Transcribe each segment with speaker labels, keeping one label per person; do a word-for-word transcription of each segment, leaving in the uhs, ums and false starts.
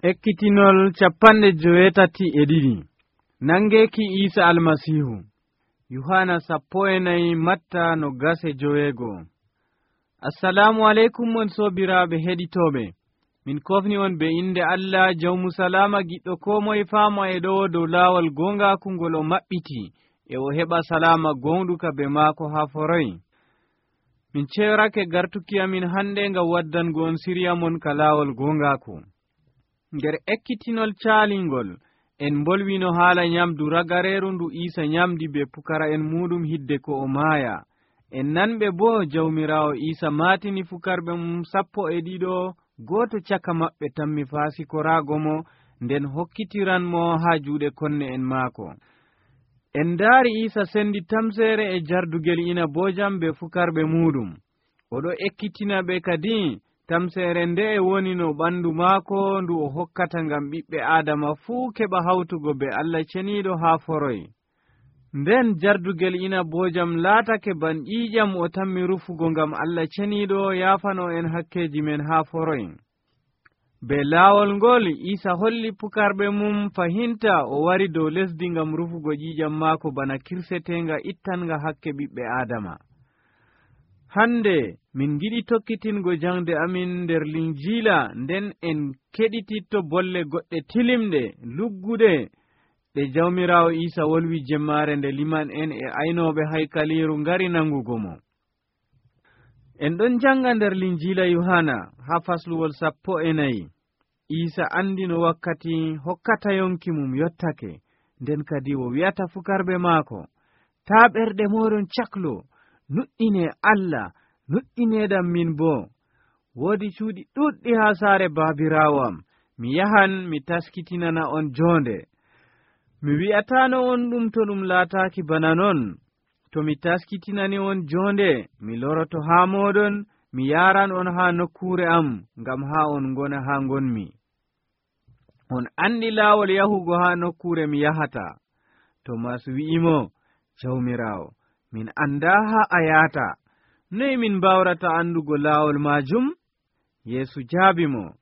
Speaker 1: Ekkitinol capanɗe joweetati e ɗiɗi nangeeki Iisa Almasiihu. Yohana sappo e nayi Matta no gase joweego. Assalamu aleykum on soobiraaɓe heɗitooɓe. Min kofni on be inde Allah jawmu salama giɗɗo koo moye faama e ɗo dow laawol goongaaku ngol o maɓɓiti e o heɓa salama gonɗuka be maako haa foroy. Min ceerake gartuki amin hannde ngam waddango on siriya mon ka laawol goongaaku. Nder ekkitinol caalingol en mbolwino haala nyamdu ragareeru ndu Iisa nyamdi be pukara'en muɗum hidde ko o maaya. En nanɓe boo jawmiraawo Iisa maatini fukarɓe mum sappo e ɗiɗo gooto caka maɓɓe tammi faasikoraago mo nden hokkitiranmo haa juuɗe konne en maako. En ndaari Iisa sendi tamseere e jardugel inaboojam be fukarɓe muɗum. Oɗo ekkitina ɓe kadi tamseere nde e woni no ɓandu maako ndu o hokkata ngam ɓiɓɓe Aadama fuu keɓa hawtugo be Allah ceniiɗo haa foroy. Nden jardugel inaboojam laatake ban ƴiiƴam o tammi rufugo ngam Allah ceniiɗo yaafano en hakkeeji men haa foroy. Be laawol ngol Iisa holli pukarɓe mum fahinta o wari dow lesdi ngam rufugo ƴiiƴam maako bana kirsetenga ittanga hakke ɓiɓɓe Aadama. Hande min giɗi tokkitingo jangde amin nder Linjiila nden en keɗititto bolle goɗɗe tilimɗe lugguɗe ɗe jawmiraawo Iisa wolwi jemmaare nde liman en e aynooɓe haykaliiru ngari nangugo mo. En ɗon janga nder Linjiila Yohana haa fasluwol sappo e nayi. Iisa andi no wakkati hokkata yonki mum yottake, nden kadi o wi'ata fukarɓe maako, taa ɓerɗe moɗon caklo, nuɗɗine Allah, nuɗɗineɗam min boo. Woodi cuuɗi ɗuɗɗi haa saare baabiraawo am, mi yahan mi taskitinana on joonde. Mi wi'ataano on ɗum to ɗum laataaki bana non. To mi taskitinani on joonde, mi loroto haa mooɗon, mi yaaran on haa nokkuure am, ngam haa on ngona haa ngonmi. On andi laawol yahugo haa nokkuure mi yahata. Tomas wi'imo, Jawmiraawo, min andaa haa a yaata. Noy min mbawrata andugo laawol maajum? Yeesu jaabimo,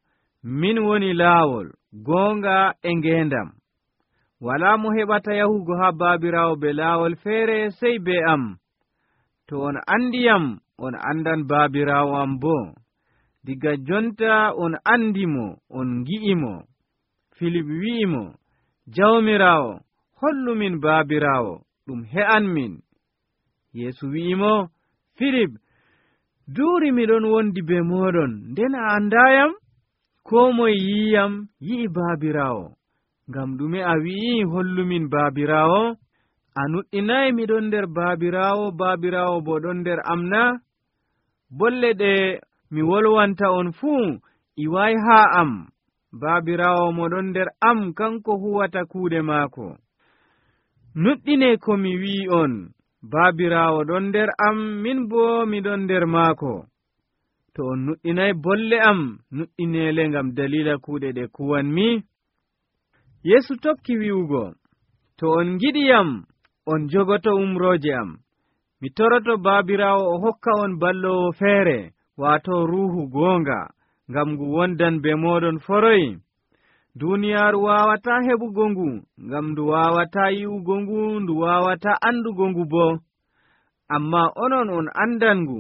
Speaker 1: min woni laawol, goonga e ngeendam. Walaa mo heɓata yahugo haa baabiraawo be laawol feere sey be am. To on andiyam, on andan baabiraawo am boo. Diga jonta on andimo, on ngi'imo. Filip wi'imo, Jawmiraawo, hollu min baabiraawo, ɗum he'an min. Yeesu wi'imo, Filip, duuri miɗon wondi be mooɗon, nden a andayam? Koo moye yi'iyam yi'i baabiraawo. Ngam ɗume a wi'i hollumin baabiraawo? A nuɗɗinayi miɗon nder baabiraawo, baabiraawo bo ɗon nder am na? Bolle ɗe mi wolwanta on fuu iwayi haa am. Baabiraawo mo ɗon nder am kanko huwata kuuɗe maako. Nuɗɗine ko mi wi'i on. Baabiraawo ɗon nder am, min boo miɗon nder maako. To on nuɗɗinayi bolle am, nuɗɗineele ngam dalila kuuɗe ɗe kuwanmi. Yeesu tokki wi'ugo, to on ngiɗiyam, on jogoto umrooje am. Mi toroto baabiraawo o hokka on ballowo feere, waato ruuhu goonga, ngam ngu wondan be mooɗon foroy. Duuniyaaru waawataa heɓugo ngu, ngam ndu waawataa yi'ugo ngu, ndu waawataa andugo ngu boo. Ammaa onon on andan ngu,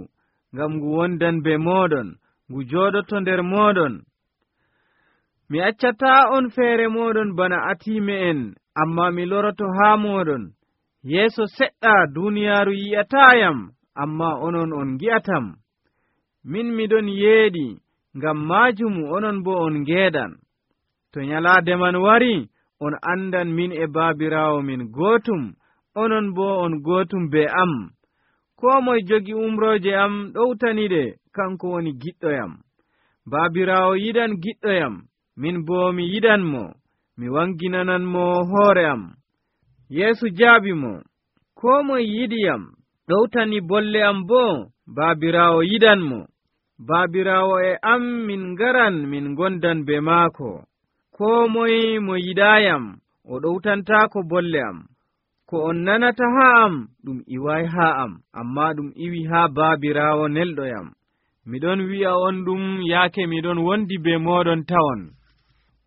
Speaker 1: ngam ngu wondan be mooɗon, ngu jooɗoto nder mooɗon. Mi accataa on feere mooɗon bana atiime en, ammaa mi loroto haa mooɗon. Yeeso seɗɗa duuniyaaru yi'ataayam, ammaa onon on ngi'atam. Min miɗon yeeɗi, ngam maajum onon boo on ngeeɗan. To nyalaade man wari, on andan min e baabiraawo min gootum, onon boo on gootum be am. Koo moye jogi umrooje am ɗowtaniɗe, kanko woni giɗɗoyam. Baabiraawo yiɗan giɗɗoyam, min boo mi yiɗanmo, mi wanginananmo hoore am. Yeesu jaabimo, koo moye yiɗiyam, ɗowtani bolle am boo, baabiraawo yiɗanmo. Baabiraawo e am min ngaran min gondan be maako. Koo moye mo yiɗaayam, o ɗowtantaako bolle am. Ko on nanata haa am, ɗum iwayi haa am, ammaa ɗum iwi haa baabiraawo nelɗoyam. Miɗon wi'a on ɗum yaake miɗon wondi be mooɗon tawon.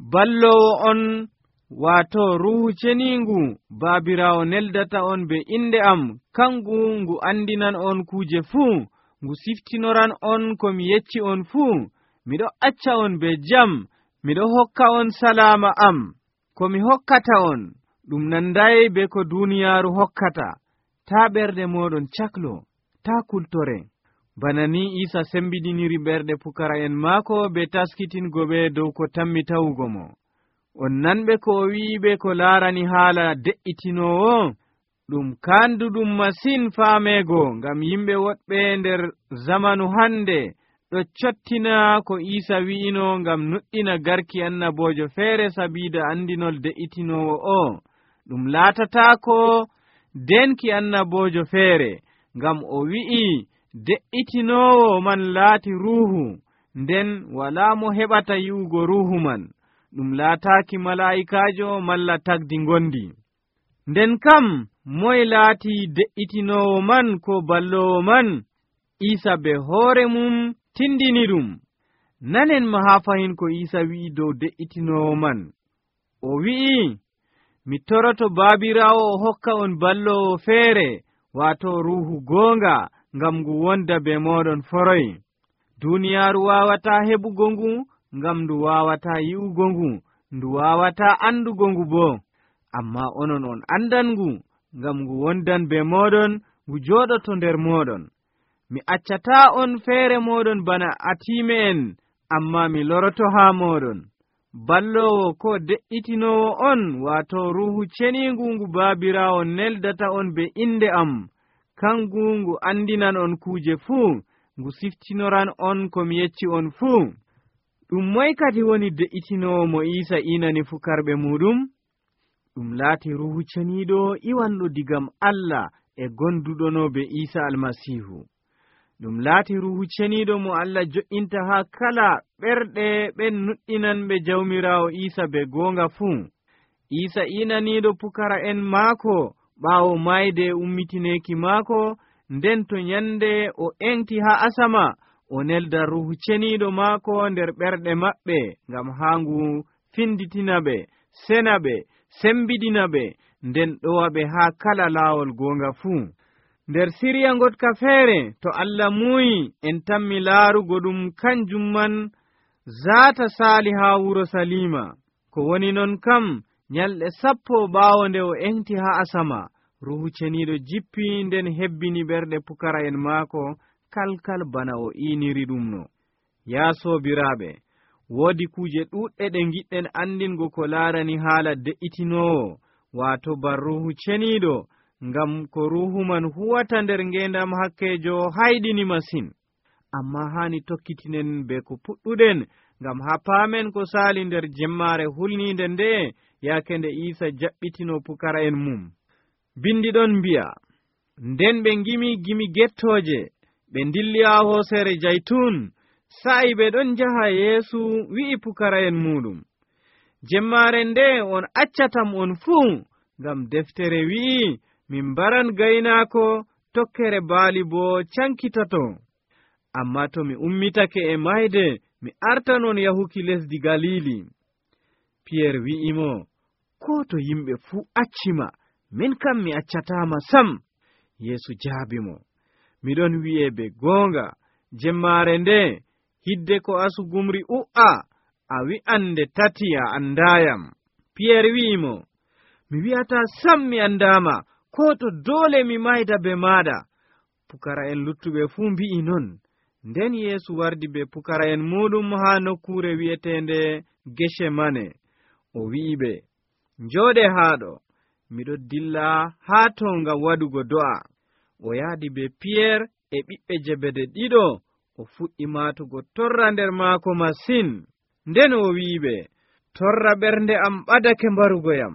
Speaker 1: ballowo on wato ruhu ceniingu baabiraawo neldata on be inde am, kangu ngu andinan on kuuje fuu, ngu siftinoran on ko mi yecci on fuu. Miɗo acca on be jam, miɗo hokka on salaama am. Ko mi hokkata on ɗum nanday be ko duniyaaru hokkata. Taa ɓerɗe moɗon caklo, taa kultore. Bana ni Isa sembidiniri ɓerɗe pukara'en maako be taskitingo ɓe dow ko tammi tawugo mo. On nanɓe ko o wi'iɓe ko laarani haala de'itinowo, ɗum kanduɗum masin faamego, ngam yimɓe woɗɓe nder zamanu hande ɗo cottina ko Isa wi'ino ngam nuɗɗina garki annabojo feere sabiida andinol de'itinowo o. Ɗum laatataako denki annabojo feere, ngam o wi'i de'itinowo man laati ruuhu, nden walaa mo heɓata yi'ugo ruuhu man. Ɗum laataaki malaa'ikaajo malla tagdi ngondi. Nden kam moye laati de'itinowo man ko ballowo man? Isa be hoore mum tindini ɗum. Nanen ma haa fahin ko Isa wi'i dow de'itinowo man. O wi'i, mi toroto baabiraawo o hokka on ballowo feere, waato ruuhu goonga, ngam ngu wonda be mooɗon foroy. Duniyaaru waawataa heɓugo ngu, ngam ndu waawataa yi'ugo ngu, ndu waawataa andugo ngu boo. Ammaa onon on andan ngu, ngam ngu wondan be mooɗon, ngu jooɗoto nder mooɗon. Mi accataa on feere mooɗon bana atiime en, ammaa mi loroto haa mooɗon. Ballowo ko de'itinowo on, waato ruuhu ceniingu ngu baabiraawo neldata on be inde am, kangu ngu andinan on kuuje fuu, ngu siftinoran on ko mi yecci on fuu. Ɗum moy kadi woni de'itinowo mo Isa inani fukarɓe muɗum? Ɗum laati ruuhu ceniiɗo iwanɗo digam Allah e gonduɗono be Isa almasihu. Ɗum laati ruuhu ceniiɗo mo Allah jo'inta haa kala ɓerɗe ɓen nuɗɗinanɓe jawmiraawo Isa be goonga fuu. Isa inaniiɗo pukara'en maako ɓaawo mayde e ummitineeki maako, nden to nyande o engti haa asama, o nelda ruuhu ceniiɗo maako nder ɓerɗe maɓɓe, ngam haa ngu finditina ɓe, sena ɓe, sembidina ɓe, nden ɗowa ɓe haa kala laawol goonga fuu. Nder siriya ngotka feere, to Allah muuyi en tammi laarugo ɗum kanjum man zaata saali haa wuro Salima. Ko woni non kam, nyalɗe sappo ɓaawo nde o engti haa asama, ruuhu ceniiɗo jippi nden hebbini ɓerɗe pukara'en maako kalkal bana o iiniri ɗum no. Yaa soobiraaɓe, woodi kuuje ɗuuɗɗe ɗe giɗɗen andingo ko laarani haala de'itinowo, waato ban ruuhu ceniiɗo, ngam ko ruuhu man huwata nder ngeendam hakkeejo hayɗini masin. Ammaa haani tokkitinen be ko puɗɗuɗen, ngam haa paamen ko saali nder jemmaare hulniinde nde, yaake nde Isa jaɓɓitino pukara'en mum. Bindiɗon mbi'a, nden ɓe ngimi gimi gettooje, ɓe ndilli haa hoosere jaytun, sa'i ɓe ɗon njaha Yeesu wi'i pukara'en muɗum, jemmaare nde on accatam on fuu, ngam deftere wi'i, min mbaran gaynaako, tokkere baali boo cankitato. Ammaa to mi ummitake e mayde, mi artanon yahuki lesdi Galili. Piyeer wi'imo, ko to yimɓe fuu accima, min kam mi accataama sam. Yeesu jaabimo, miɗon wi'e be goonga, jemmaare nde, hidde ko asugumri u'a, a wi'an nde tati a andaayam. Piyeer wi'imo, mi wi'ataa sam mi andaama, ko to doole mi mayda be maaɗa. Pukara'en luttuɓe fuu mbi'i non. Nden Yeesu wardi be pukara'en muɗum haa nokkuure wi'eteende Gecemane. O wi'iɓe, njooɗe haaɗo, miɗo dilla haa to ngam waɗugo do'a. O yaadi be Piyeer e ɓiɓɓe Jebede ɗiɗo, o fuɗɗi maatugo torra nder maako masin. Nden o wi'iɓe, torra ɓernde am ɓadake mbarugoyam.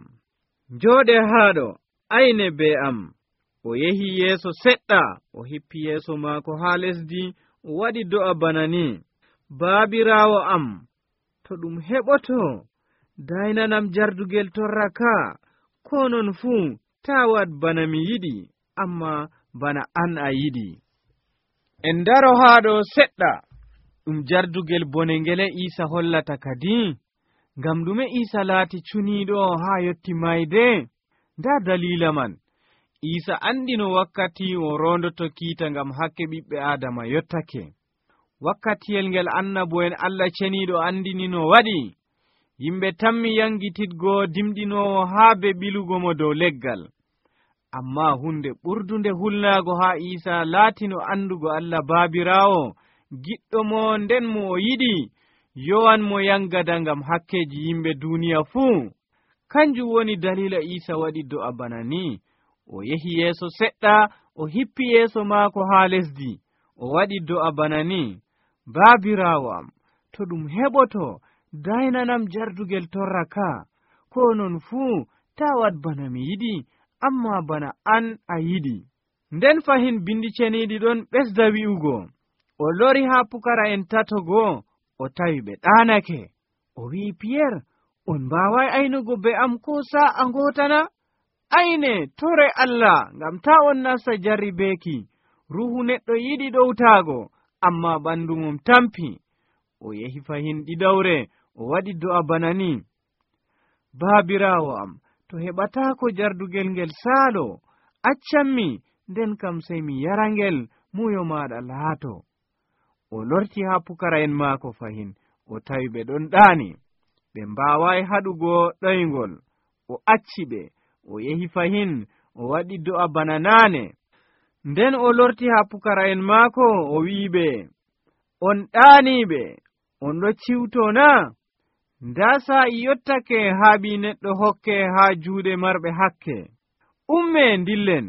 Speaker 1: Njooɗe haaɗo, ayne be am. O yehi yeeso seɗɗa, o hippi yeeso maako haa lesdi, o waɗi do'a bana ni, baabiraawo am, to ɗum heɓoto, daynanam jardugel torra ka, ko non fuu taa waɗ bana mi yiɗi, amma bana an a yiɗi. En ndaro haa ɗo seɗɗa, ɗum jardugel bone ngele Iisa hollata kadi. ngam ɗume Iisa laati cuniiɗo haa yotti mayde? Ndaa daliila man. Iisa andino wakkati o rondoto kiita ngam hakke ɓiɓɓe Aadama yottake. Wakkatiyel ngel annabo'en Allah ceniiɗo andini no waɗi. Yimɓe tammi yangititgo dimɗinoowo haa be ɓilugo mo dow leggal. Ammaa hunde ɓurdunde hulnaago haa Iisa laatino andugo Allah Baabiraawo, giɗɗo mo nden mo o yiɗi, yowan mo yangada ngam hakkeji yimɓe duniya fuu. Kanjum woni dalila Iisa waɗi do'a bana ni. O yehi yeeso seɗɗa, o hippi yeeso maako haa lesdi. O waɗi do'a bana ni: Baabiraawo am, to ɗum heɓoto, daynanam jardugel torra ka. Ko non fuu, taa waɗ bana mi yiɗi, amma bana an a yiɗi. Nden fahin bindi ceniiɗi ɗon ɓesda wi'ugo, o lori haa pukara'en tatogo, o tawi ɓe ɗaanake. O wi'i Piyer, on mbaaway aynugo be am ko sa'a ngotana? Ayne, tore Allah, ngam taa on nasta jarribeeki. Ruhu neɗɗo yiɗi ɗowtaago, amma ɓandu mum tampi. O yehi fahin ɗiɗawre, o waɗi do'a bana ni: Baabiraawo am, to heɓataako jardugel ngel saalo, accanmi, nden kam sey mi yarangel muyo maaɗa laato. O lorti haa pukara'en maako fahin, o tawi ɓe ɗon ɗaani. Ɓe mbaaway haɗugo ɗoyngol. O acci ɓe, o yehi fahin, o waɗi do'a bana naane. Nden o lorti haa pukara'en maako, o wi'iɓe, on ɗaaniiɓe, on ɗo ciwto na? Ndaa sa'i yottake haa ɓii neɗɗo hokke haa juuɗe marɓe hakke. Umme ndillen,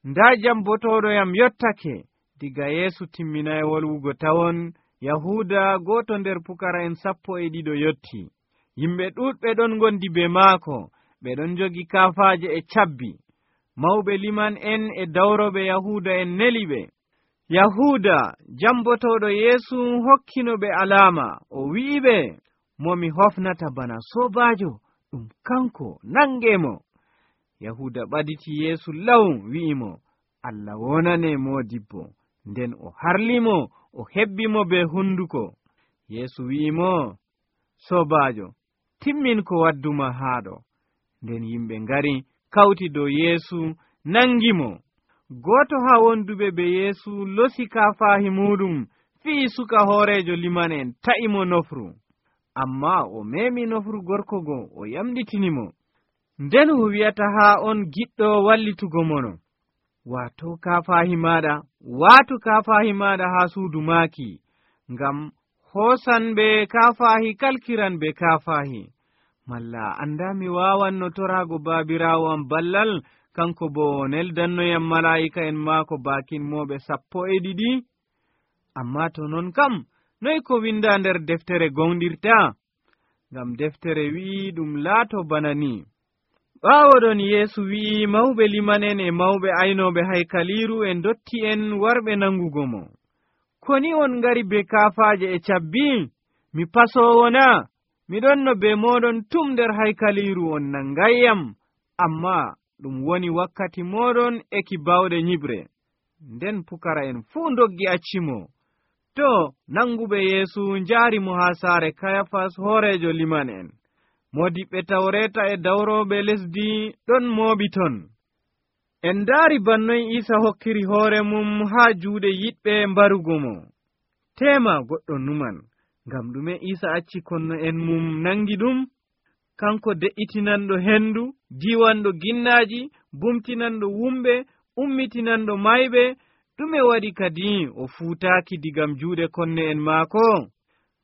Speaker 1: ndaa jam botoɗoyam yottake. Diga Yeesu timminay wolwugo tawon, Yahuuda gooto nder pukara'en sappo e ɗiɗo yotti. Yimɓe ɗuuɗɓe ɗon ngondi be maako, ɓe ɗon jogi kaafaaje e cabbi. Mawɓe liman en e dawroɓe Yahuuda en neli ɓe. Yahuuda, jambotoɗo Yeesu, hokkino ɓe alaama, o wi'iɓe, mo mi hofnata bana soobaajo, ɗum kanko, nangemo. Yahuuda ɓaditi Yeesu law, wi'imo, Allah wonane moodibbo. Nden o harlimo, o hebbimo be hunduko. Yeesu wi'imo, soobaajo, timmin ko wadduma haaɗo. Nden yimɓe ngari kawti dow Yeesu, nangimo. Gooto haa wonduɓe be Yeesu losi kaafaahi muɗum, fi'i suka hoorejo liman en, ta'imo nofru. Ammaa o meemi nofru gorkogo, o yamɗitinimo. Nden o wi'ata haa on giɗɗo wallitugo mono. Waato kaafaahi maaɗa, waatu kaafaahi maaɗa haa suudu maaki, ngam hoosan ɓe kaafaahi kalkiran ɓe kaafaahi. Malla anda mi waawanno toraago Baabiraawo am ballal, kanko bo neldannoyam malaa'ika en maako baakin mooɓe sappo e ɗiɗi? Ammaa to non kam, noy ko winda nder deftere gonɗirta? Ngam deftere wi'i ɗum laato bana ni: ɓaawoɗon Yeesu wi'i mawɓe limanen e mawɓe aynooɓe haykaliiru e ndotti en warɓe nangugo mo. Koni on ngari be kaafaaje e cabbi? Mi pasoowo na? Miɗon no be mooɗon tum nder haykaliiru on nangayyam, ammaa ɗum woni wakkati mooɗon eki bawɗe nyiɓre. Nden pukara'en fuu ndoggi accimo. To, nanguɓe Yeesu njaari mo haa saare Kayafas hoorejo liman en. Modiɓɓe Tawreeta e dawrooɓe lesdi ɗon mooɓi ton. En ndaari bannoy Iisa hokkiri hoore mum haa juuɗe yiɗɓe mbarugo mo. Teema goɗɗo numan, ngam ɗume Iisa acci konno en mum nangi ɗum? Kanko de'itinanɗo hendu, diwanɗo ginnaaji, bumtinanɗo wumɓe, ummitinanɗo mayɓe, ɗume waɗi kadi o fuutaaki digam juuɗe konne en maako?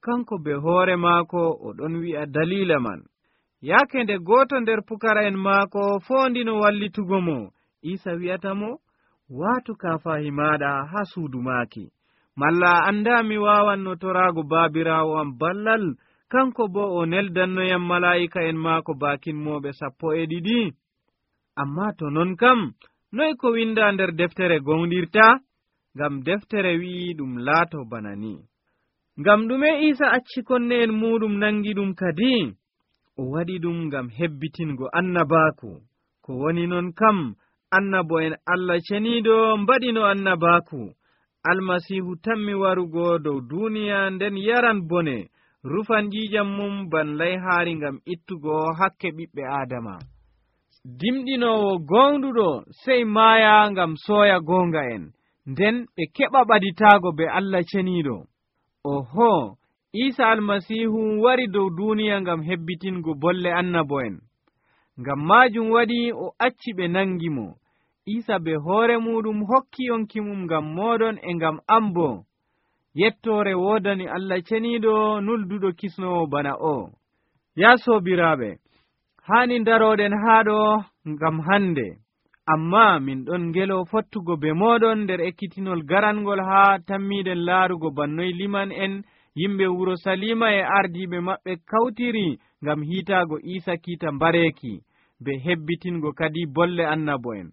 Speaker 1: Kanko be hoore maako o ɗon wi'a dalila man. Yaake nde gooto nder pukara'en maako foondino wallitugo mo, Iisa wi'ata mo, waatu kaafaahi maaɗa haa suudu maaki. Malla anda mi waawanno toraago Baabiraawo am ballal, kanko bo o neldannoyam malaa'ika en maako baakin mooɓe sappo e ɗiɗi? Ammaa to non kam, noy ko winda nder deftere gonɗirta? Ngam deftere wi'i ɗum laato bana ni. Ngam ɗume Iisa acci konne en muɗum nangi ɗum kadi? O waɗi ɗum ngam hebbitingo annabaaku. Ko woni non kam, annabo en Allah ceniiɗo mbaɗino annabaaku. Almasiihu tammi warugo dow duniya nden yaran bone, rufan jiijam mum ban layhaari ngam ittugo hakke ɓiɓɓe aadama. Dimɗinoowo gonɗuɗo sey maaya ngam sooya goonga en, nden ɓe keɓa ɓaditaago be Allah ceniiɗo. Oho, Iisa almasiihu wari dow duuniya ngam hebbitingo bolle annabo'en. Ngam maajum waɗi o acci ɓe nangi mo. Iisa be hoore muɗum hokki yonki mum ngam mooɗon e ngam am boo. Yettoore woodani Allah ceniiɗo nulduɗo kisnowo bana o. Yaa soobiraaɓe, haani darooɗen haa ɗo ngam hande, ammaa min ɗon ngelo fottugo be mooɗon nder ekkitinol garangol haa tammiiɗen laarugo bannoy liman en yimɓe wuro Salima e ardiiɓe maɓɓe kawtiri ngam hiitaago Iisa kiita mbareeki be hebbitingo kadi bolle annabo'en.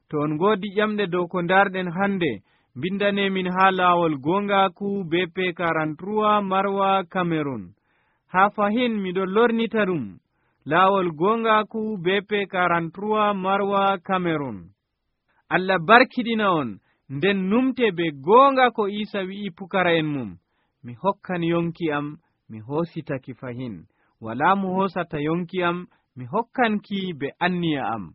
Speaker 1: To on ngoodi ƴamɗe dow ko ndarɗen hande, mbindanemin haa laawol goongaaku B P quarante-trois Marwa Cameron. Haa fahin miɗo lornita ɗum, laawol goongaaku B P quarante-trois Marwa Cameron. Allah barkiɗina on, nden numte be goonga ko Iisa wi'i pukara'en mum. Mi hokkan yonki am, mi hoositaki fahin. Walaa mo hoosata yonki am, mi hokkanki be anniya am.